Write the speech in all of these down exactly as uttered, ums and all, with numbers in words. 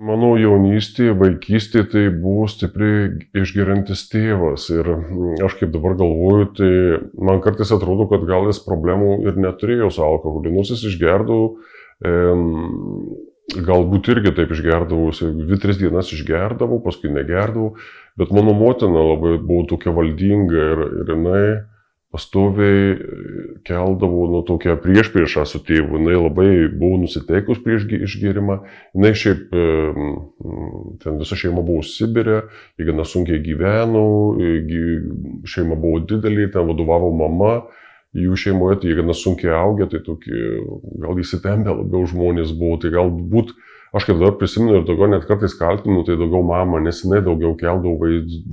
Mano jaunystėje, vaikystėje tai buvo stipriai išgeriantis tėvas ir aš kaip dabar galvoju, tai man kartais atrodo, kad gal jis problemų ir neturėjo su alkoholiu, nors jis išgerdavo, e, galbūt irgi taip išgerdavo, dvi, tris dienas išgerdavo, paskui negerdavo, bet mano motina labai buvo tokia valdinga ir, ir jinai pastoviai keldavo nu, tokią priešpriešą su tėvu, jinai labai buvo nusiteikus prieš išgėrimą, jinai šiaip, ten visa šeima buvo Sibire, jie gana sunkiai gyveno, šeima buvo didelė, ten vadovavo mama, jų šeimoje tai jie gana sunkiai augę, tai tokie, gal įsitempę labiau žmonės buvo, tai galbūt, aš kaip dabar prisimenu ir daugiau net kartais kaltinu, tai daugiau mama, nes jinai daugiau keldavo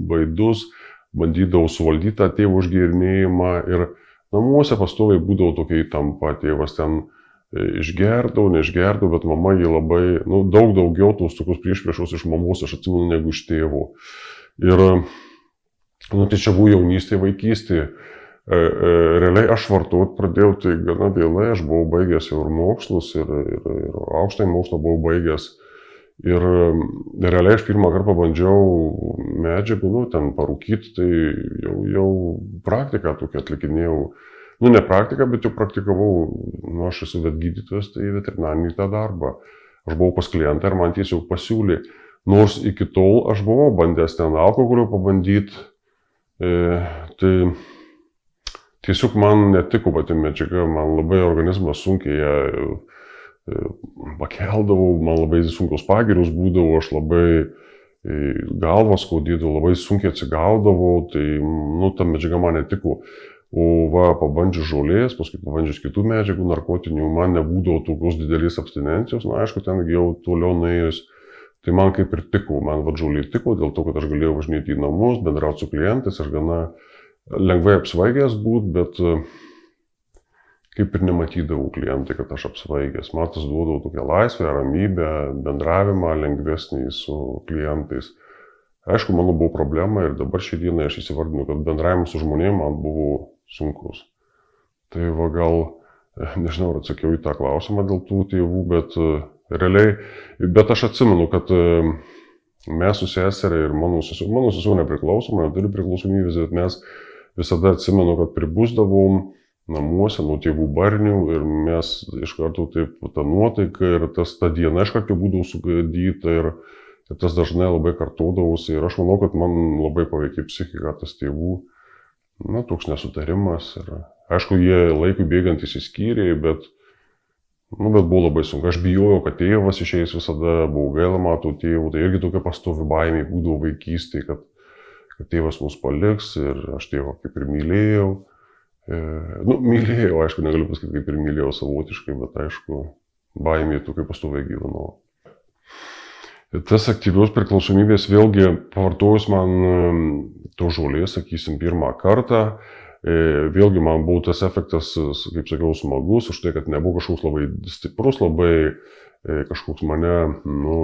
vaidus, bandydavau suvaldyti tą tėvų užgėrinėjimą ir namuose pastoviai būdavo tokia įtampa, tėvas ten išgerdavo, neišgerdavo, bet mama jį labai, nu, daug daugiau tos tokios priešpriešos iš mamos, aš atsimenu, negu iš tėvų. Ir, nu, tai čia buvo jaunystė, vaikystė. Realiai aš vartot pradėjau, tai gana vėlai, aš buvau baigęs jau ir mokslus, ir, ir, ir aukštąjį mokslą buvau baigęs. Ir realiai aš pirmą kartą pabandžiau medžiagų, nu, ten parūkyti, tai jau, jau praktiką tokią atlikinėjau. Nu, ne praktiką, bet jau praktikavau, nu, aš esu vet gydytojas, tai veterinarinį tą darbą. Aš buvau pas klientą ir man tiesiog pasiūlė. Nors iki tol aš buvau bandęs ten alkoholio pabandyti, e, tai tiesiog man netiko pati medžiaga, man labai organizmas sunkiai ją pakeldavau, man labai sunkios pagirius būdavo, aš labai galvą skaudydavau, labai sunkiai atsigaudavau, tai, nu, ta medžiaga man netiko. O va, pabandžius žolės, paskui pabandžius kitų medžiagų, narkotinių, man nebūdavo tokios didelės abstinencijos, na, aišku, ten jau toliau nuėjus, tai man kaip ir tiko, man va žolė tiko, dėl to, kad aš galėjau važinėti į namus, bendrauti su klientais, aš gana lengvai apsvaigęs būt, bet kaip ir nematydavau klientai, kad aš apsvaigęs. Man tas duodavo tokią laisvę, ramybę, bendravimą lengvesnį su klientais. Aišku, mano buvo problema ir dabar šią dieną aš įsivardinu, kad bendravimas su žmonėmis man buvo sunkus. Tai va gal, nežinau, ar atsakiau į tą klausimą dėl tų tėvų, bet realiai, bet aš atsimenu, kad mes su seserė ir mano sesuo, mano sesuo nepriklausoma, neturi priklausomybės, bet mes visada atsimenu, kad pribusdavom namuose nuo tėvų barnių ir mes iš karto taip, ta nuotaika ir tas ta diena iš karto būdavo sugadyta ir, ir tas dažnai labai kartodavosi ir aš manau, kad man labai paveikė psichiką tas tėvų, na, toks nesutarimas ir aišku, jie laikui bėgant įsiskyrė, bet, nu, bet buvo labai sunku. Aš bijojau, kad tėvas išeis visada, buvo gaila matau tėvų, tai irgi tokia pastovi baimė būdavo vaikystėje, kad, kad tėvas mus paliks ir aš tėvą kaip ir mylėjau. Nu, mylėjau, aišku, negaliu pasakyti, kaip ir mylėjau savotiškai, bet aišku, baimė tokia pastoviai gyvenau. Tas aktyvios priklausomybės vėlgi pavartojus man to žolės, sakysim, pirmą kartą, vėlgi man buvo tas efektas, kaip sakiau, smagus, už tai, kad nebuvo kažkoks labai stiprus, labai kažkoks mane, nu,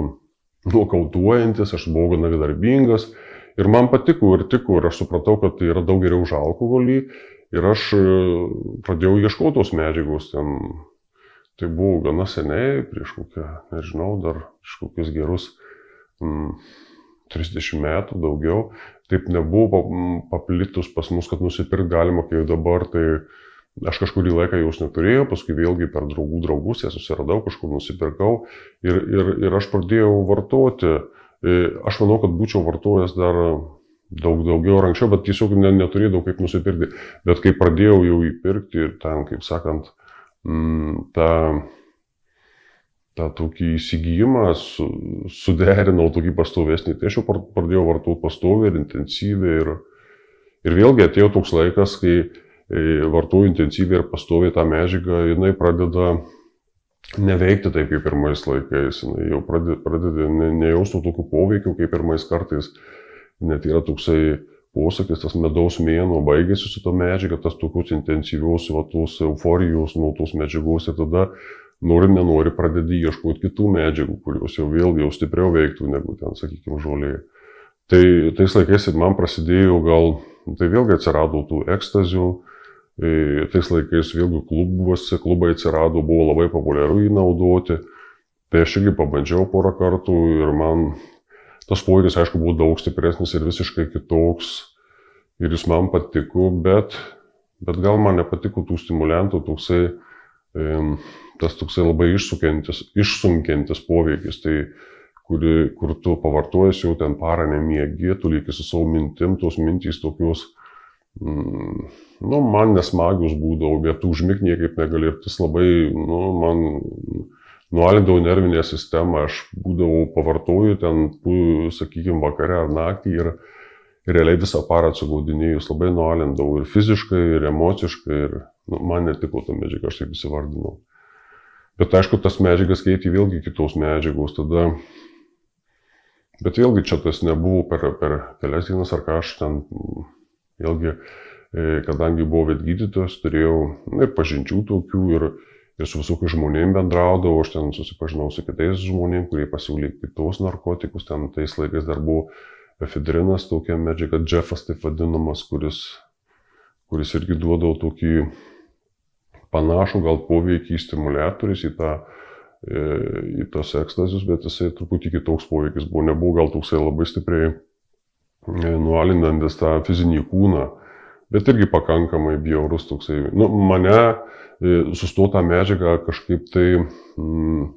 nokautuojantis, aš buvau gana darbingas ir man patiko ir tiko ir aš supratau, kad tai yra daug geriau už alkoholį. Ir aš pradėjau ieškoti tos medžiagos, ten, tai buvo gana seniai, prieš kokią, nežinau, dar prieš kokius gerus mm, trisdešimt metų daugiau. Taip nebuvo paplitus pas mus, kad nusipirkti galima, kaip dabar, tai aš kažkurį laiką jos neturėjau, paskui vėlgi per draugų draugus ją susiradau, kažkur nusipirkau ir, ir, ir aš pradėjau vartoti. Aš manau, kad būčiau vartojęs dar daug daugiau ir anksčiau, bet tiesiog neturėjau kaip nusipirkti. Bet kai pradėjau jau įpirkti ir ten, kaip sakant, tą, tą tokį įsigijimą su, suderinau tokį pastovesnį, tai aš jau pradėjau vartoti pastoviai ir intensyviai. Ir, ir vėlgi atėjo toks laikas, kai vartoju intensyviai ir pastoviai tą medžiagą, jinai pradeda neveikti taip kaip pirmais laikais, jinai jau pradeda, pradeda ne, nejausti tokių poveikių kaip pirmais kartais. Net yra toksai posakis, tas medaus mėnuo baigėsi su to medžiaga, tas tokius intensyviaus, va, tos euforijos nuo tos medžiagos ir tada nori, nenori pradedi ieškoti kitų medžiagų, kurios jau vėlgi jau stipriau veiktų negu ten, sakykime, žolė. Tai tais laikais man prasidėjo gal, tai vėlgi atsirado tų ekstazių, tais laikais vėlgi klubuose, klubai atsirado, buvo labai populiaru jį naudoti. Tai aš irgi pabandžiau porą kartų ir man tas poveikis, aišku, buvo daug stipresnis ir visiškai kitoks. Ir jis man patiko, bet, bet gal man nepatiko tų stimuliantų, toksai, tas toksai labai išsunkiantis, išsunkiantis poveikis. Tai kuri, kur tu pavartojęs jau ten parą nemiegi, tu lieki su savo mintim, tos mintys tokios, mm, nu, man nesmagius būdavo, bet tu užmigt niekaip negali ir tas labai, nu, man nualindavo nervinę sistemą, aš būdavau pavartoju ten, sakykime, vakare ar naktį ir realiai visą parą atsigaudinėjus labai nualindavau ir fiziškai, ir emociškai, ir nu, man netiko ta medžiaga, aš taip įsivardinau. Bet aišku, tas medžiagas keitė vėlgi kitos medžiagos, tada, bet vėlgi čia tas nebuvo per, per kelias dienas ar ką aš ten, vėlgi, kadangi buvau vetgydytojas, turėjau ir pažinčių tokių ir Ir su visokiais žmonėm bendraudavau, aš ten susipažinau su kitais žmonėm, kurie pasiūlė kitos narkotikus, ten tais laikais dar buvo efedrinas, tokia medžiaga, džefas taip vadinamas, kuris, kuris irgi duodavo tokį panašų gal poveikį stimuliatorius į, tą, į tos ekstazius, bet jisai truputį kitoks poveikis buvo, nebuvo gal toksai labai stipriai nualinantis tą fizinį kūną, bet irgi pakankamai bjaurus toksai, nu, mane sustota medžiaga kažkaip tai mm,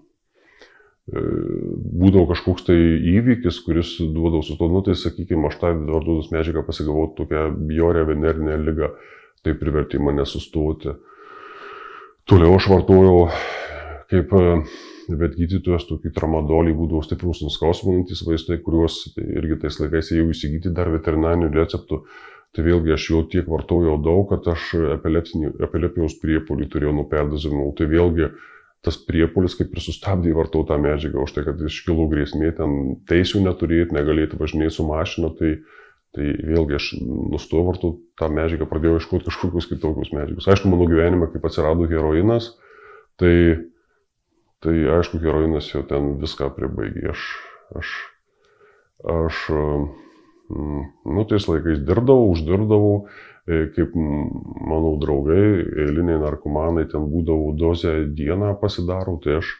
būdavo kažkoks tai įvykis, kuris duodavo sustoti, nu tai sakykime, aš tą vartotos medžiagą pasigavau tokią bjaurią venerinę ligą, tai privertė mane sustoti. Toliau aš vartojau kaip vetgydytojas tokį tramadolį, būdavo stiprus nuskausminantys vaistai, kuriuos tai irgi tais laikais jau įsigyti dar veterinarinių receptų. Tai vėlgi aš jau tiek vartojau daug, kad aš epilepijos priepuolį turėjau nuo perdozavimo. Tai vėlgi tas priepuolis kaip ir sustabdė vartotą medžiagą, už tai, kad iškilo grėsmė ten teisių neturėti, negalėti važinėti su mašina, tai, tai vėlgi aš nustojau vartoti tą medžiagą, pradėjau ieškoti kažkokius kitokius medžiagus. Aišku, mano gyvenime, kaip atsirado heroinas, tai, tai aišku, heroinas jau ten viską pribaigė. Aš, aš, aš Nu, tais laikais dirbdavau, uždirbdavau, kaip mano draugai, eiliniai narkomanai, ten būdavo dozę dieną pasidaro, tai aš,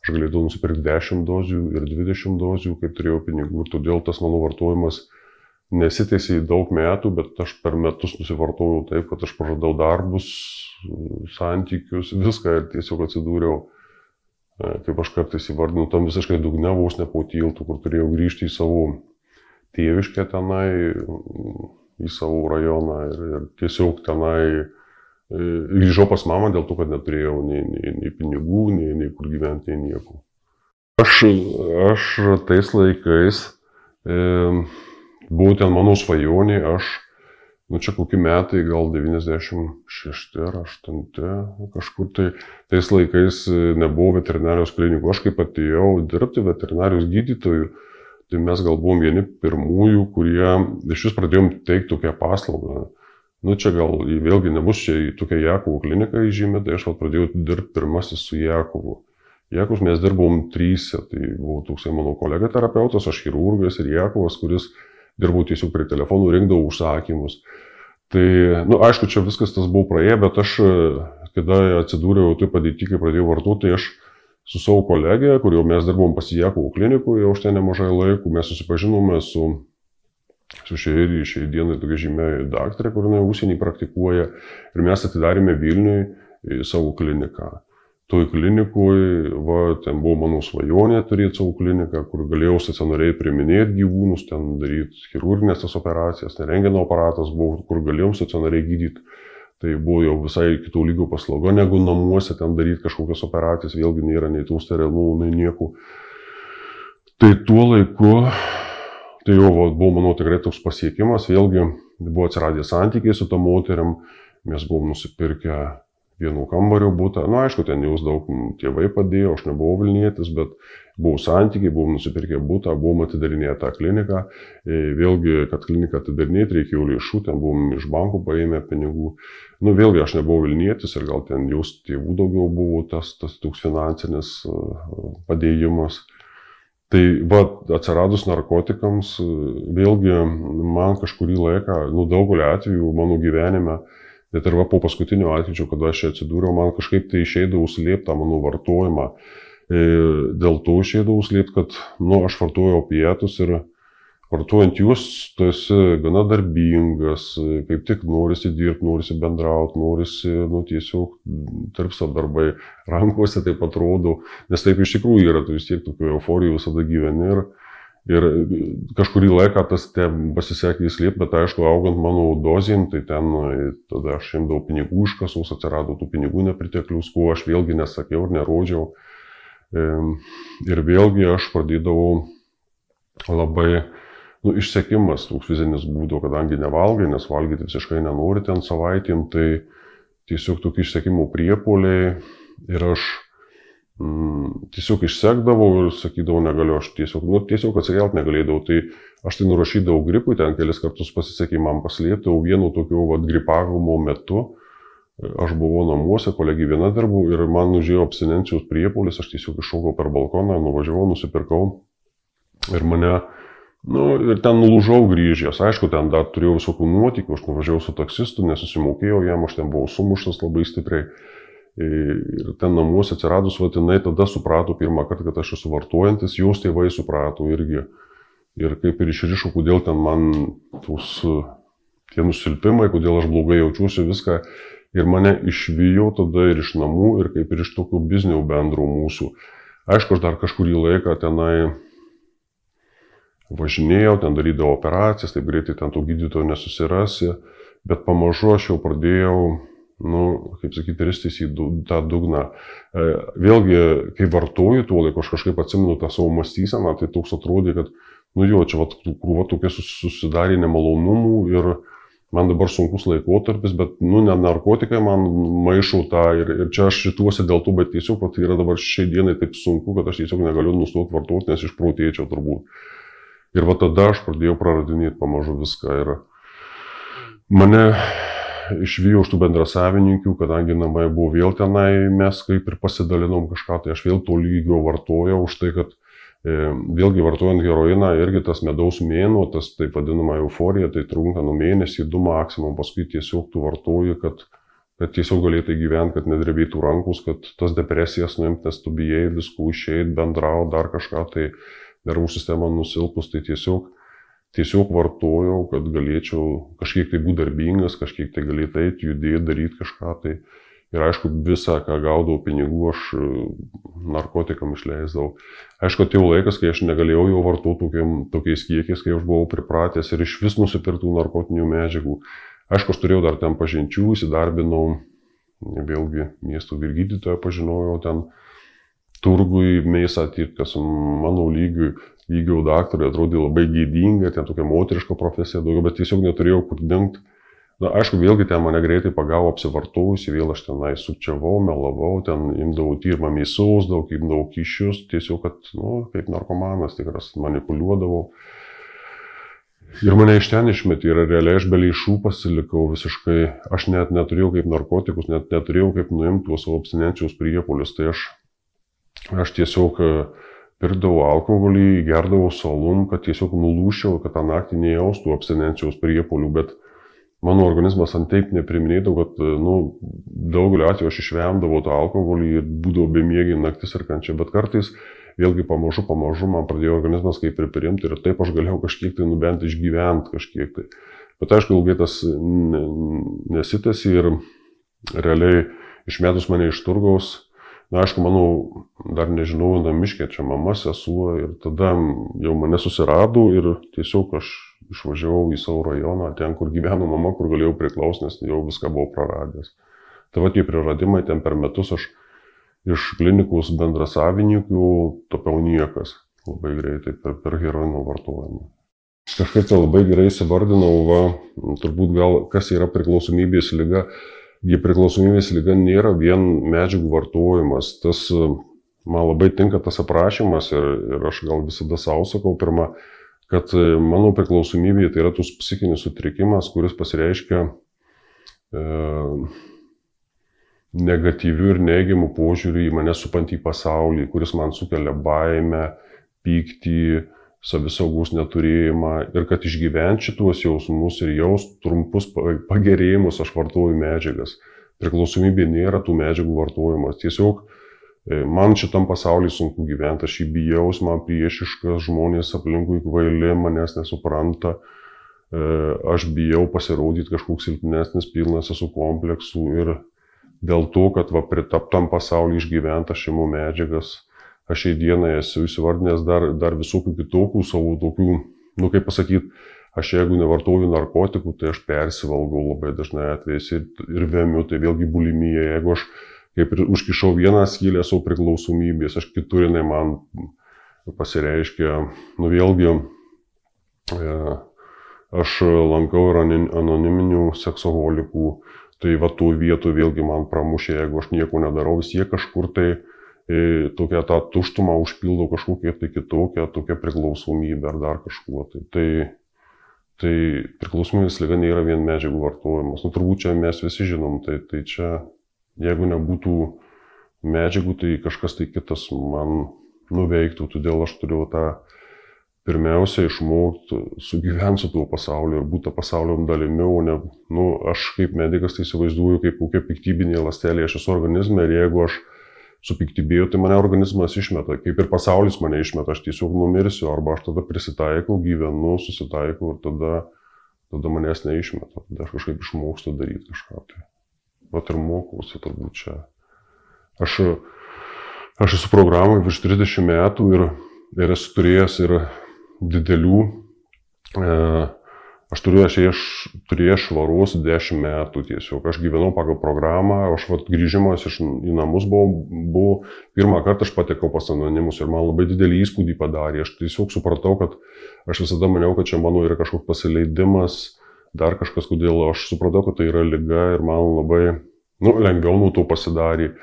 aš galėdavau nusipirkti dešimt dozių ir dvidešimt dozių, kaip turėjau pinigų, ir todėl tas mano vartojimas nesitėsi daug metų, bet aš per metus nusivartojau taip, kad aš praradau darbus, santykius, viską ir tiesiog atsidūriau, kaip aš kartais įvardinu, tam visiškai dugne vos ne po tiltu, kur turėjau grįžti į savo tėviškę tenai, į savo rajoną ir, ir tiesiog tenai grįžau pas mamą dėl to, kad neturėjau nei, nei, nei pinigų, nei, nei kur gyventi, nei nieko. Aš, aš tais laikais, e, buvau ten mano svajonė, aš, nu čia kokie metai, gal devyniasdešimt šešti ar aštunti, kažkur tai, tais laikais nebuvo veterinarijos klinikų, aš kaip atėjau dirbti veterinarijos gydytojų, tai mes gal buvom vieni pirmųjų, kurie iš vis pradėjom teikti tokią paslaugą. Nu čia gal vėlgi nebus čia tokia Jakovo klinika įžymė, tai aš vat pradėjau dirbti pirmasis su Jakovu. Jakovus mes dirbom tryse, tai buvo toksai mano kolega terapeutas, aš chirurgas ir Jakovas, kuris dirbau tiesiog prie telefonų, rinkdavau užsakymus. Tai, nu aišku, čia viskas tas buvo praėję, bet aš, kada atsidūriau taip padėti, kai pradėjau vartoti, tai aš su savo kolegė, kur jau mes dirbom pas Jakovo klinikų, jau už ten nemažai laikų, mes susipažinome su, su šiai, šiai dienai tokia žymė daktarė, kur jinai užsienį praktikuoja, ir mes atidarėme Vilniui savo kliniką. Toj klinikui, va, ten buvo mano svajonė turėti savo kliniką, kur galėjau stacionariai priiminėti gyvūnus, ten daryti chirurginės tas operacijas, rentgeno aparatas buvo, kur galėjom stacionariai gydyti. Tai buvo jau visai kitų lygio paslauga, negu namuose ten daryti kažkokias operacijas, vėlgi nėra nei tų sterilų, nei nieko. Tai tuo laiku, tai jau buvo mano tikrai toks pasiekimas, vėlgi buvo atsiradę santykiai su tą moteriam, mes buvom nusipirkę vieno kambario butą, nu aišku, ten jūs daug tėvai padėjo, aš nebuvau Vilnietis, bet buvo santykiai, buvom nusipirkę butą, buvom atidarinėję tą kliniką, vėlgi, kad kliniką atidarinėti reikėjo lėšų, ten buvom iš bankų paėmę pinigų, nu vėlgi aš nebuvau Vilnietis ir gal ten jūs tėvų daugiau buvo tas, tas toks finansinis padėjimas. Tai va, atsiradus narkotikams, vėlgi man kažkurį laiką, nu daugelį atvejų mano gyvenime, bet ir va po paskutinio atvejų, kada aš čia atsidūriau, man kažkaip tai išeidavo slėpti tą mano vartojimą. Dėl to išeidavau slėpti, kad, nu, aš vartoju opietus ir vartojant juos, tu esi gana darbingas, kaip tik norisi dirbti, norisi bendrauti, norisi, nu, tiesiog tarpsta darbai, rankose taip atrodo, nes taip iš tikrųjų yra, tu vis tiek tokio euforijų visada gyveni ir, ir kažkurį laiką tas te pasisekė įslėpti, bet aišku, augant mano dozėm, tai ten tada aš imdavau pinigų iš kasos, atsirado tų pinigų nepriteklius, ko aš vėlgi nesakiau ir nerodžiau. Ir vėlgi aš pradėdavau labai, nu, išsekimas toks fizinis būdo, kadangi nevalgai, nes valgyti visiškai nenori ten savaitėm, tai tiesiog tokie išsekimo priepuoliai ir aš mm, tiesiog išsekdavau ir sakydavau negaliu, aš tiesiog, nu, tiesiog atsikelt negalėdavau, tai aš tai nurašydavau gripui, ten kelis kartus pasisekė man paslėpti, o vienu tokiu vat, gripavimo metu aš buvau namuose, kolegė viena dirbau ir man užėjo abstinencijos priepuolis, aš tiesiog iššokau per balkoną, nuvažiavau, nusipirkau ir mane, nu, ir ten nulūžau grįžęs. Aišku, ten dar turėjau visokių nuotykių, aš nuvažiavau su taksistu, nesusimokėjau jam, aš ten buvau sumuštas labai stipriai. Ir ten namuose atsiradus, va, jinai tada suprato pirmą kartą, kad aš esu vartojantis, jos tėvai suprato irgi. Ir kaip ir išrišo, kodėl ten man tos, tie nusilpimai, kodėl aš blogai jaučiuosi, viską. Ir mane išvijo tada ir iš namų, ir kaip ir iš tokių biznių bendrų mūsų. Aišku, aš dar kažkurį laiką tenai važinėjau, ten darydavau operacijas, taip greitai ten to gydytojo nesusirasi, bet pamažu aš jau pradėjau, nu, kaip sakyti, ristis į tą dugną. Vėlgi, kai vartoju tuo laiku, aš kažkaip atsimenu tą savo mąstyseną, tai toks atrodė, kad, nu jo, čia vat, krūva tokia susidarė nemalonumų ir man dabar sunkus laikotarpis, bet, nu, ne narkotikai man maišau tą ir, ir čia aš šituosi dėl to, bet tiesiog, kad tai yra dabar šiai dienai taip sunku, kad aš tiesiog negaliu nustoti vartoti, nes išprotėčiau turbūt. Ir va tada aš pradėjau praradinėti pamažu viską ir mane išvijo už tų bendrasavininkių, kadangi namai buvo vėl tenai, mes kaip ir pasidalinom kažką, tai aš vėl to lygio vartojau už tai, kad vėlgi vartojant heroiną, irgi tas medaus mėnuo, tas taip vadinama euforija, tai trunka nuo mėnesį, du maksimum, paskui tiesiog tu vartoji, kad, kad tiesiog galėtai gyventi, kad nedrebėtų rankus, kad tas depresijas nuimti, nes tu bijai viskų išeit, bendrauti, dar kažką, tai nervų sistema nusilpus, tai tiesiog, tiesiog vartojau, kad galėčiau kažkiek tai būti darbingas, kažkiek tai galėtų eiti, judėti, daryti kažką, tai ir aišku, visą, ką gaudavau pinigų, aš narkotikam išleisdavau. Aišku, atėjo laikas, kai aš negalėjau jau vartoti tokiais kiekiais, kai aš buvau pripratęs ir iš vis nusipirktų narkotinių medžiagų. Aišku, aš turėjau dar ten pažinčių, įsidarbinau, vėlgi miestų vyrgydytoją pažinojau ten turgui, mėsą tirti, kas mano lygiui, lygio daktarui atrodė labai gėdinga, ten tokia moteriška profesija daugiau, bet tiesiog neturėjau kur dingti. Na, aišku, vėlgi ten mane greitai pagavo apsivartojusi, vėl aš tenai sukčiavau, melavau, ten imdavau tyrimą mėsos, daug imdavau kyšius, tiesiog, kad, nu, kaip narkomanas tikras, manipuliuodavau. Ir mane iš ten išmetė ir realiai aš be lėšų pasilikau visiškai, aš net neturėjau kaip narkotikus, net neturėjau kaip nuimti tuos savo abstinencijos priepuolius, tai aš, aš tiesiog pirkdavau alkoholį, gerdavau salum, kad tiesiog nulūščiau, kad tą naktį nejaustų abstinencijos priepuolių, bet mano organizmas ant taip nepriminėdavo, kad, nu, daugelio atveju aš išvemdavau tą alkoholį ir būdavau bemiegiai naktis ir kančia, bet kartais vėlgi pamažu, pamažu man pradėjo organizmas kaip ir priimti ir taip aš galėjau kažkiek tai nubent išgyventi kažkiek tai. Bet aišku, ilgai tas nesitęsė ir realiai išmetus mane iš turgaus, na, aišku, manau, dar nežinau, namiškė čia mama, sesuo ir tada jau mane susirado ir tiesiog aš išvažiavau į savo rajoną, ten, kur gyveno mama, kur galėjau priklausti, nes jau viską buvau praradęs. Tai va tie praradimai, ten per metus aš iš klinikos bendrasavininkų tapiau niekas labai greitai per, per heroino vartojimą. Kažkaip tai labai gerai įsivardinau, va, turbūt gal kas yra priklausomybės liga. Gi priklausomybės liga nėra vien medžiagų vartojimas. Tas, man labai tinka tas aprašymas ir, ir aš gal visada savo sakau pirmą, kad mano priklausomybė tai yra tos psichinis sutrikimas, kuris pasireiškia e, negatyvių ir neigiamų požiūrių į mane supantį pasaulį, kuris man sukelia baimę, pyktį, savisaugos neturėjimą ir kad išgyventi šituos jausmus ir jaust trumpus pagerėjimus aš vartoju medžiagas. Priklausomybė nėra tų medžiagų vartojimas. Tiesiog Man šitam pasaulyje sunku gyventi, aš jį bijaus, man priešiškas, žmonės aplinkui kvaili, manęs nesupranta, aš bijau pasirodyti kažkoks silpnesnis, pilnas esu kompleksų ir dėl to, kad va, pritaptam pasaulyje išgyventi aš imu medžiagas, aš šiai dienai esu įsivardinęs dar, dar visokių kitokių savo tokių, nu kaip pasakyti, aš jeigu nevartoju narkotikų, tai aš persivalgau labai dažnai atvejais ir, ir vemiu, tai vėlgi bulimija, jeigu aš kaip ir užkišau vieną skylę savo priklausomybės, aš kitur jinai man pasireiškia, nu vėlgi, aš lankau ir anoniminių seksoholikų, tai va tų vietų vėlgi man pramušė, jeigu aš nieko nedarau, vis jie kažkur tai e, tokia tą tuštumą užpildo kažkokia tai kitokia, tokia priklausomybė ar dar kažkuo. Tai, tai, tai priklausomybės liga nėra vien medžiagų vartojimas, nu turbūt čia mes visi žinom, tai, tai čia jeigu nebūtų medžiagų, tai kažkas tai kitas man nuveiktų, todėl aš turiu tą pirmiausia išmokti sugyventi su tuo pasauliu ir būti pasaulio dalimi, o ne, nu, aš kaip medikas tai įsivaizduoju kaip kokia piktybinė ląstelė, aš esu organizme ir jeigu aš supiktybėjau, tai mane organizmas išmeta, kaip ir pasaulis mane išmeta, aš tiesiog numirsiu, arba aš tada prisitaikau, gyvenu, susitaikau ir tada, tada manęs neišmeta, tada aš kažkaip išmokstu daryti kažką. Tai. Vat ir mokausi turbūt čia. Aš, aš esu programai virš trisdešimt metų ir, ir esu turėjęs ir didelių, e, aš turiu, aš, aš turėjęs švaros dešimt metų tiesiog. Aš gyvenau pagal programą, aš vat grįžimas iš, į namus buvau, buvo, pirmą kartą aš patekau pas anonimus ir man labai didelį įspūdį padarė. Aš tiesiog supratau, kad aš visada maniau, kad čia mano yra kažkoks pasileidimas, dar kažkas, kodėl aš supratau, kad tai yra liga ir man labai nu, lengviau nuo to pasidarė.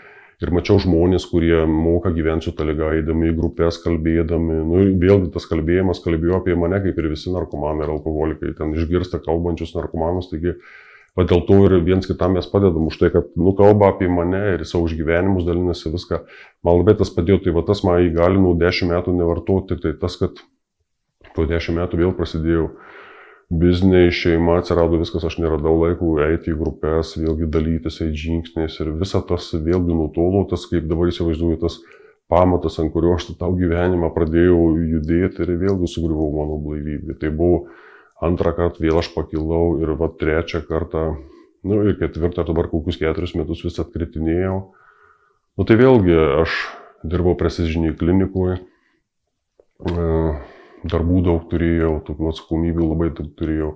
Ir mačiau žmonės, kurie moka gyventi su ta liga, eidami į grupės, kalbėdami. Nu, vėlgi tas kalbėjimas kalbėjo apie mane, kaip ir visi narkomanai ir alkoholikai. Ten išgirsta kalbančius narkomanus, taigi va, dėl to ir viens kitam mes padedam už tai, kad nu, kalba apie mane ir savo išgyvenimus dalinasi viską. Man labai tas padėjo, tai va tas man įgalino dešimt metų nevartoti, tik tai tas, kad po dešimt metų vėl prasidėjau bizniai, šeima, atsirado viskas, aš neradau laiko eiti į grupės, vėlgi dalytis, eiti žingsniais ir visa tas vėlgi nutolo, tas kaip dabar įsivaizduoju, tas pamatas, ant kurio aš tą gyvenimą pradėjau judėti ir vėlgi sugriuvau mano blaivybė. Tai buvo antrą kartą vėl aš pakilau ir va trečią kartą, nu ir ketvirtą, dabar kokius keturis metus vis atkritinėjau. Nu tai vėlgi aš dirbau prestižinėje klinikoje. Darbų daug turėjau, tokių atsakomybių labai daug turėjau.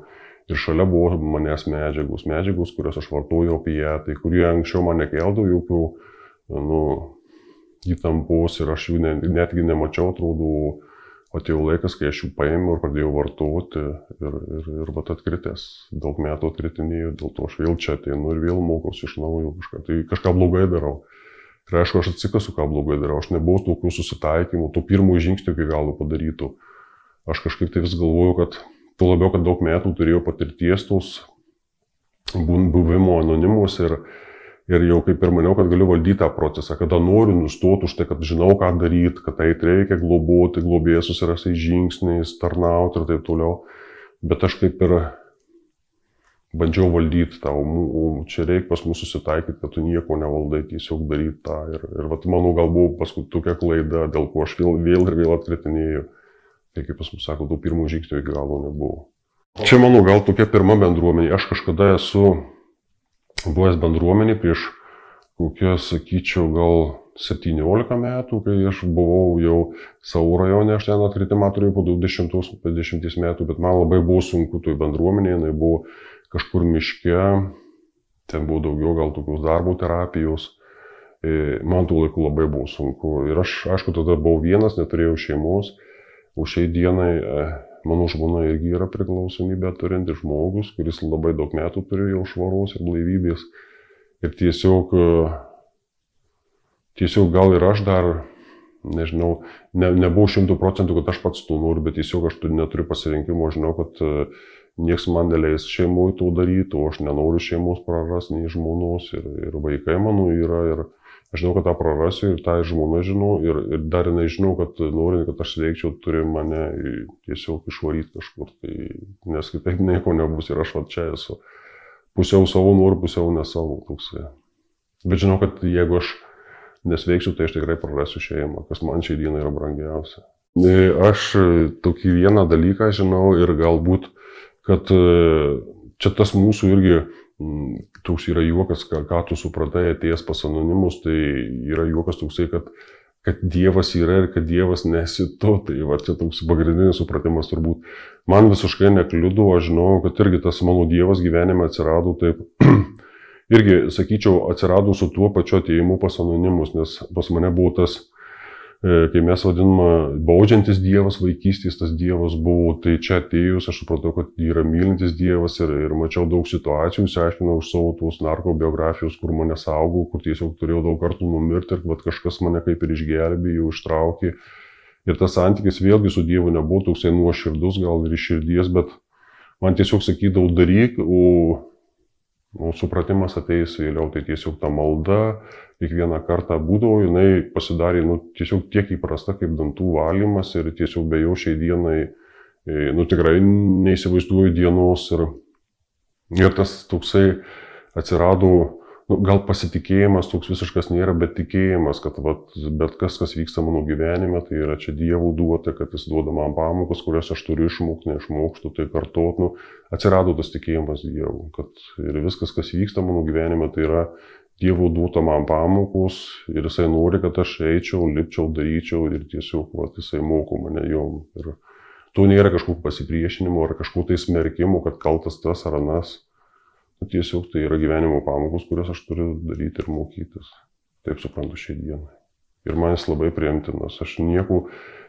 Ir šalia buvo manęs medžiagos, medžiagos, kurios aš vartojau opiatai, kurie anksčiau man nekeldavo jokių nu, įtampos ir aš jų ne, netgi nemačiau, atrodo, atėjo laikas, kai aš jų paėmiau ir pradėjau vartoti ir, ir, ir vat atkritęs, daug metų atkritinėjau, dėl to aš vėl čia ateinu ir vėl mokausi iš naujo kažką, tai kažką blogai darau. Ir aišku, aš atsikasu, ką blogai darau, aš nebuvau tokių susitaikymų, to pirmųjų žingsnių iki galo padarytų. Aš kažkaip tai vis galvoju, kad tuo labiau, kad daug metų turėjau patirties tos buvimo anonimus ir, ir jau kaip ir maniau, kad galiu valdyti tą procesą, kada noriu nustoti už tai, kad žinau, ką daryti, kad tai reikia globoti, globėjas susirasti žingsniais, tarnauti ir taip toliau. Bet aš kaip ir bandžiau valdyti tą, o čia reikia pas mus susitaikyti, kad tu nieko nevaldai, tiesiog daryti tą. Ir, ir vat, manau, gal buvo paskui tokia klaida, dėl ko aš vėl, vėl ir vėl atkritinėjau. Tai kaip pas mus sako, tų pirmų žingsnių iki galo nebuvo. Čia mano gal tokia pirma bendruomenė. Aš kažkada esu buvęs bendruomenė prieš kokią, sakyčiau, gal septyniolika metų, kai aš buvau jau savo rajone, aš ten atkritimą turėjau po dvidešimties metų, bet man labai buvo sunku toj bendruomenėje, jinai buvo kažkur miške, ten buvo daugiau gal tokios darbo terapijos. Man tų laikų labai buvo sunku ir aš, aišku, tada buvau vienas, neturėjau šeimos. O šiai dienai mano žmona irgi yra priklausomybę turintis žmogus, kuris labai daug metų turi jau švaros ir blaivybės. Ir tiesiog, tiesiog gal ir aš dar, nežinau, ne, nebuvau šimtų procentų, kad aš pats to noriu, bet tiesiog aš neturiu pasirinkimo, žinau, kad nieks man neleis šeimoje to daryti, o aš nenoriu šeimos prarasti, nei žmonos ir, ir vaikai mano yra. Ir, aš žinau, kad tą prarasiu ir tą žmona žinau ir, ir dar jinai žinau, kad norint, kad aš sveikčiau, turi mane tiesiog išvaryti kažkur, tai, nes kitaip nieko nebus ir aš va čia esu. Pusiau savo noriu, pusiau ne savo. Toksai. Bet žinau, kad jeigu aš nesveiksiu, tai aš tikrai prarasiu šeimą, kas man šiai dienai yra brangiausia. Aš tokį vieną dalyką žinau ir galbūt, kad čia tas mūsų irgi toks yra juokas, ką, ką tu supratai atėjęs pas anonimus, tai yra juokas toksai, kad, kad Dievas yra ir kad Dievas nesi tu. Tai va, čia toks pagrindinis supratimas turbūt. Man visiškai nekliudo, aš žinau, kad irgi tas mano Dievas gyvenime atsirado taip. Irgi, sakyčiau, atsirado su tuo pačiu atėjimu pas anonimus, nes pas mane buvo tas, kai mes vadiname, baudžiantis Dievas, vaikystės tas Dievas buvo, tai čia atėjus aš supratau, kad yra mylintis Dievas ir, ir mačiau daug situacijų, išsiaiškinau iš savo tos narkobiografijos, kur mane saugau, kur tiesiog turėjau daug kartų numirti ir vat, kažkas mane kaip ir išgelbėjo, ištraukė. Ir tas santykis vėlgi su Dievu nebuvo toksai nuoširdus, gal ir iš širdies, bet man tiesiog sakydavau daryk, o, o supratimas ateis vėliau, tai tiesiog ta malda, kiekvieną kartą būdavo, jinai pasidarė nu, tiesiog tiek įprasta kaip dantų valymas ir tiesiog be jo šiai dienai, nu tikrai neįsivaizduoju dienos ir, ir tas toksai atsirado, nu, gal pasitikėjimas toks visiškas nėra, bet tikėjimas, kad vat, bet kas, kas vyksta mano gyvenime, tai yra čia Dievo duota, kad jis duoda man pamokas, kurias aš turiu išmokti, neišmokštų, tai kartot, nu, atsirado tas tikėjimas Dievu, kad ir viskas, kas vyksta mano gyvenime, tai yra Dievo duota man pamokos ir jisai nori, kad aš eičiau, lipčiau, daryčiau ir tiesiog vat, jisai moko mane jom. Ir to nėra kažkokio pasipriešinimo ar kažkokio tai smerkimo, kad kaltas tas ar anas. Tiesiog tai yra gyvenimo pamokos, kurias aš turiu daryti ir mokytis. Taip suprantu šiai dienai. Ir man jis labai priimtinas. Aš nieko,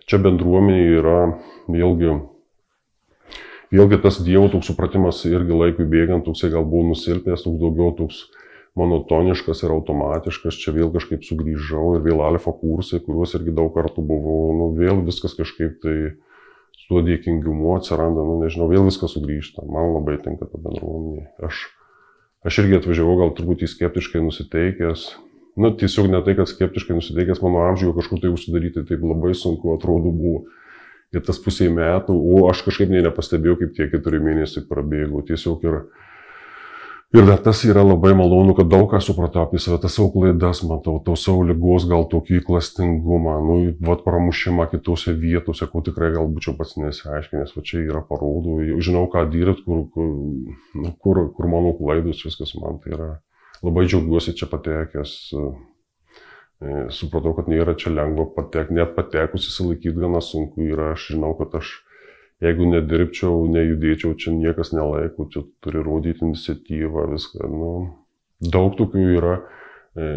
čia bendruomenė yra vėlgi, vėlgi tas Dievo toks supratimas irgi laikui bėgant, toksai gal buvo nusilpęs, toks daugiau toks monotoniškas ir automatiškas, čia vėl kažkaip sugrįžau ir vėl alfa kursai, kuriuos irgi daug kartų buvau, nu vėl viskas kažkaip tai su tuo dėkingumu atsiranda, nu nežinau, vėl viskas sugrįžta, man labai tinka ta bendruomenė. Aš, aš irgi atvažiavau gal truputį skeptiškai nusiteikęs, nu tiesiog ne tai, kad skeptiškai nusiteikęs mano amžiuje kažkur tai užsidaryti, taip labai sunku atrodo buvo. Ir tas pusė metų, o aš kažkaip nei nepastebėjau, kaip tie keturi mėnesiai prabėgo, tiesiog ir Ir tas yra labai malonu, kad daug ką supratau apie save, tas savo klaidas, matau, to savo ligos, gal tokį klastingumą, nu, vat pramušimą kitose vietose, ko tikrai gal būčiau pats nesiaiškinęs, va čia yra parodo, žinau, ką dirbti, kur, kur, nu, kur, kur mano klaidos, viskas man tai yra. Labai džiaugiuosi čia patekęs, supratau, kad nėra čia lengva patekti, net patekus įsilaikyti gana sunku yra, aš žinau, kad aš jeigu nedirbčiau, nejudėčiau, čia niekas nelaiko, čia turi rodyti iniciatyvą, viską, nu, daug tokių yra,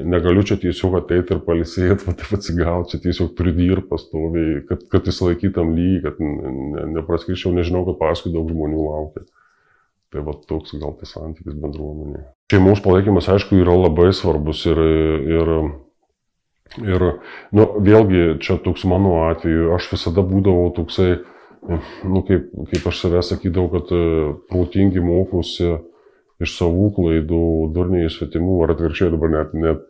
negaliu čia tiesiog ateiti ir palisėti, va taip atsigauti, čia tiesiog turi dirbti pastoviai, kad, kad įsilaikytam lygiai, kad ne, nepraskirčiau, nežinau, kad paskui daug žmonių laukia. Tai va toks gal tas santykis bendruomenėje. Šeimos palaikymas, aišku, yra labai svarbus ir, ir, ir nu, vėlgi, čia toks mano atveju, aš visada būdavau toksai, nu, kaip, kaip aš savęs sakydavau, kad protingi mokosi iš savų klaidų, durniai iš svetimų, ar atvirkščiai dabar net, net.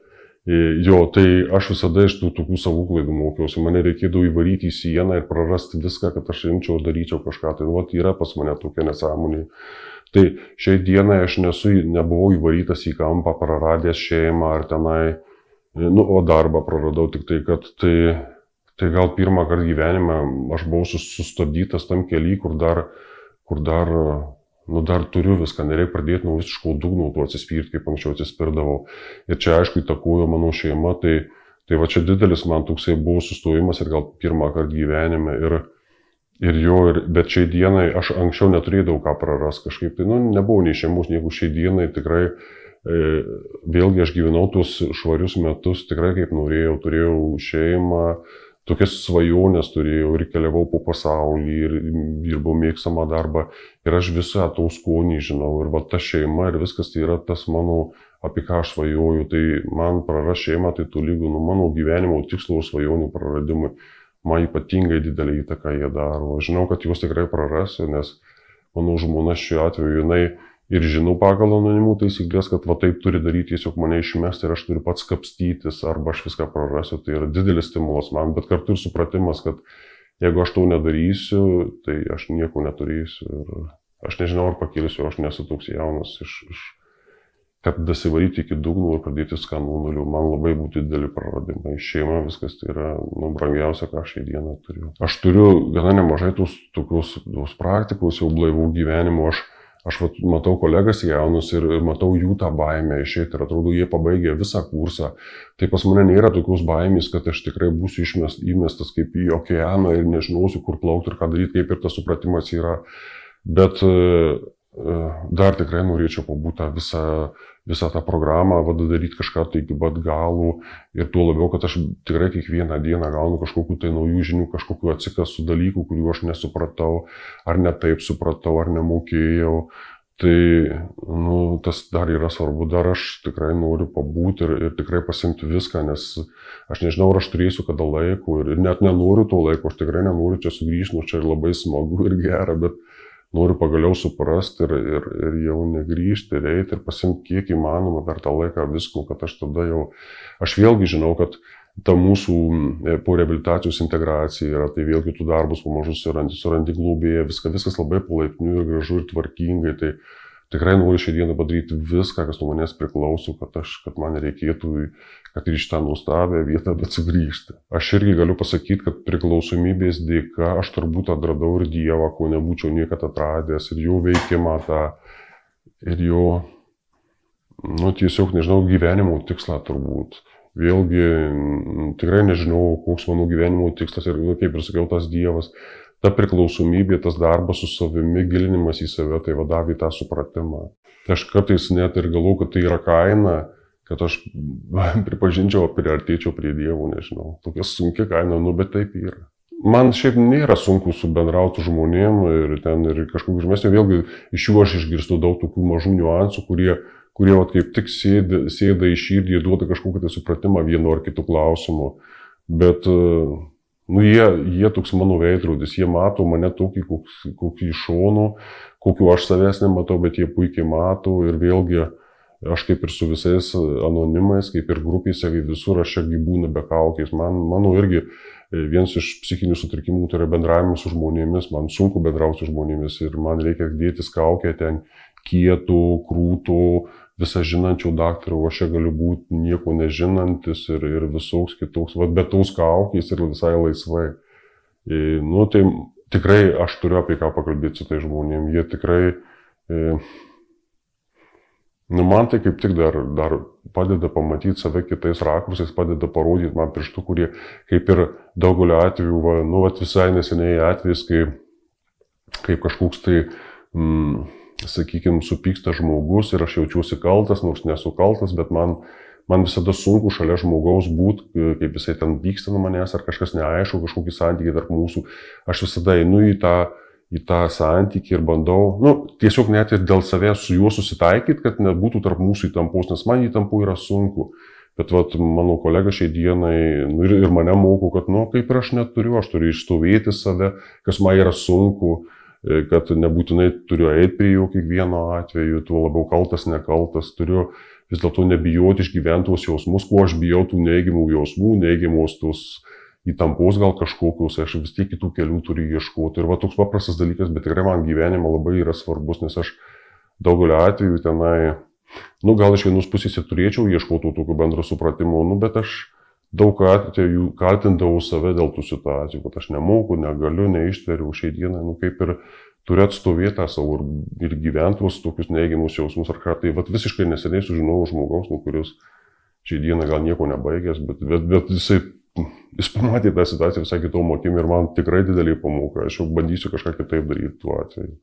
Jo, tai aš visada iš tų tokių savų klaidų mokiausi. Mane reikėdavo įvaryti į sieną ir prarasti viską, kad aš imčiau ir daryčiau kažką. Tai vat, yra pas mane tokia nesąmonė. Tai šiai dienai aš nesu, nebuvau įvarytas į kampą, praradęs šeimą ar tenai, nu, o darbą praradau tik tai, kad tai... Tai gal pirmą kartą gyvenime aš buvau sustabdytas tam kely, kur dar, kur dar, nu, dar turiu viską, nereikia pradėti nuo visiško dugno, tuo atsispirti, kaip anksčiau atsispirdavau. Ir čia aišku įtakojo mano šeima, tai, tai va čia didelis man toksai buvo sustojimas ir gal pirmą kartą gyvenime. Ir, ir jo, ir, bet šiai dienai aš anksčiau neturėdavau ką praras kažkaip, tai nu, nebuvau nei šeimos, nieko šiai dienai tikrai. E, vėlgi aš gyvenau tuos švarius metus, tikrai kaip norėjau, turėjau šeimą. Tokias svajonės turėjau ir keliavau po pasaulį ir dirbau mėgstamą darbą ir aš visą to skonį žinau ir va ta šeima ir viskas tai yra tas mano, apie ką aš svajoju, tai man praras šeimą, tai tolygu nu mano gyvenimo tikslo ir svajonių praradimui, man ypatingai didelį įtaką jie daro, aš žinau, kad juos tikrai prarasiu, nes mano žmona šiuo atveju jinai ir žinau pagal anonimų taisyklės, kad va taip turi daryti, tiesiog mane išmesti ir aš turiu pats kapstytis, arba aš viską prarasiu, tai yra didelis stimulas man, bet kartu ir supratimas, kad jeigu aš to nedarysiu, tai aš nieko neturėsiu ir aš nežinau, ar pakilsiu, aš nesu toks jaunas iš, iš, kad dasivaryti iki dugno ir pradėti skanų nulių, man labai būtų dideli praradimai. Šeima, viskas tai yra nu, brangiausia, ką šią dieną turiu. Aš turiu gana nemažai tos, tokios, tos praktikos, jau blaivų gyvenimo. Aš, aš vat, matau kolegas jaunus ir, ir matau jų tą baimę išėti ir atrodo, jie pabaigė visą kursą. Tai pas mane nėra tokios baimės, kad aš tikrai būsiu išmest, įmestas kaip į okeaną ir nežinosiu, kur plaukti ir ką daryti, kaip ir tas supratimas yra. Bet dar tikrai norėčiau pabūti visą, visą tą programą, vada daryti kažką tai iki pat galų ir tuo labiau, kad aš tikrai kiekvieną dieną gaunu kažkokių tai naujų žinių, kažkokių atsikasų dalykų, kurių aš nesupratau, ar ne taip supratau, ar nemokėjau. Tai nu, tas dar yra svarbu, dar aš tikrai noriu pabūti ir, ir tikrai pasimti viską, nes aš nežinau, ar aš turėsiu kada laiko ir, ir net nenoriu to laiko, aš tikrai nenoriu čia sugrįžti, nu čia ir labai smagu ir gera, bet noriu pagaliau suprasti ir, ir, ir jau negrįžti, ir eiti, ir pasimti kiek įmanoma per tą laiką visko, kad aš tada jau, aš vėlgi žinau, kad ta mūsų po reabilitacijos integracija yra, tai vėlgi tų darbus pamažu surandi, surandi globėje, viską, viskas labai palaipsniui ir gražu ir tvarkingai, tai tikrai noriu šią dieną padaryti viską, kas nuo manęs priklauso, kad, aš, kad man reikėtų, kad ir iš tą nuostabią vietą, bet sugrįžti. Aš irgi galiu pasakyti, kad priklausomybės dėka aš turbūt atradau ir Dievą, ko nebūčiau niekada atradęs, ir jo veikimą tą, ir jo, nu, tiesiog, nežinau, gyvenimo tikslą turbūt. Vėlgi, tikrai nežinau, koks mano gyvenimo tikslas ir, kaip ir sakiau, tas Dievas. Ta priklausomybė, tas darbas su savimi, gilinimas į save, tai vadavė tą supratimą. Aš kartais net ir galvoju, kad tai yra kaina, kad aš pripažinčiau, priartėčiau prie Dievo, nežinau. Tokia sunkia kaina, nu, bet taip yra. Man šiaip nėra sunku subendrauti žmonėm ir ten ir kažkokiu žemesniu, vėlgi iš jų aš išgirstu daug tokių mažų niuansų, kurie, kurie vat, kaip tik sėda, sėda į širdį, duoda kažkokį tai supratimą vienu ar kitu klausimu. Bet nu, jie, jie toks mano veidrodis, jie mato mane tokį, kokį, kokį iš šono, kokiu aš savęs nematau, bet jie puikiai mato ir vėlgi aš kaip ir su visais anonimais, kaip ir grupėse, kaip visur aš čia būnu be kaukės. Man, mano irgi vienas iš psichinių sutrikimų tai yra bendravimas su žmonėmis, man sunku bendrauti su žmonėmis ir man reikia dėtis kaukę ten kietų, krūtų, visą žinančių daktarų, aš čia galiu būti nieko nežinantis ir, ir visoks kitoks, vat, bet tos kaukės ir visai laisvai. E, nu, tai tikrai aš turiu apie ką pakalbėti su tai žmonėm, jie tikrai, e, nu, man tai kaip tik dar, dar padeda pamatyti save kitais rakursais, padeda parodyti man pirštų, kurie kaip ir daugelio atveju, va, nu, vat, visai neseniai atvejais, kai, kaip kažkoks tai, mm, sakykime, supyksta žmogus ir aš jaučiuosi kaltas, nors nesu kaltas, bet man, man visada sunku šalia žmogaus būti, kaip jisai ten pyksta nuo manęs, ar kažkas neaišku, kažkokį santykį tarp mūsų. Aš visada einu į tą, į tą santykį ir bandau, nu, tiesiog net ir dėl savęs su juo susitaikyti, kad nebūtų tarp mūsų įtampos, nes man įtampų yra sunku. Bet vat, mano kolega šiai dienai nu, ir, ir mane moko, kad, nu, kaip ir aš neturiu, aš turiu išstovėti save, kas man yra sunku, kad nebūtinai turiu eiti prie jų kiekvieno atveju, tuo labiau kaltas, nekaltas, turiu vis dėlto nebijoti išgyventi tuos jausmus, kuo aš bijau tų neigiamų jausmų, neigiamos tos įtampos gal kažkokios, aš vis tiek kitų kelių turiu ieškoti. Ir va toks paprastas dalykas, bet tikrai man gyvenime labai yra svarbus, nes aš daugelio atveju tenai, nu gal iš vienos pusės ir turėčiau ieškoti tokio bendro supratimo, nu bet aš daug atveju kaltindavau save dėl tų situacijų, kad aš nemoku, negaliu, neištveriu šiai dienai, nu kaip ir turiu atstovėti tą savo ir, ir gyventus tokius neigiamus jausmus ar ką. Tai vat, visiškai neseniai sužinojau žmogaus, nu, kuris šiai dienai gal nieko nebaigęs, bet, bet, bet jisai, jis pamatė tą situaciją visai kitom akim ir man tikrai didelį pamoka. Aš jau bandysiu kažką kitaip daryti tuo atveju.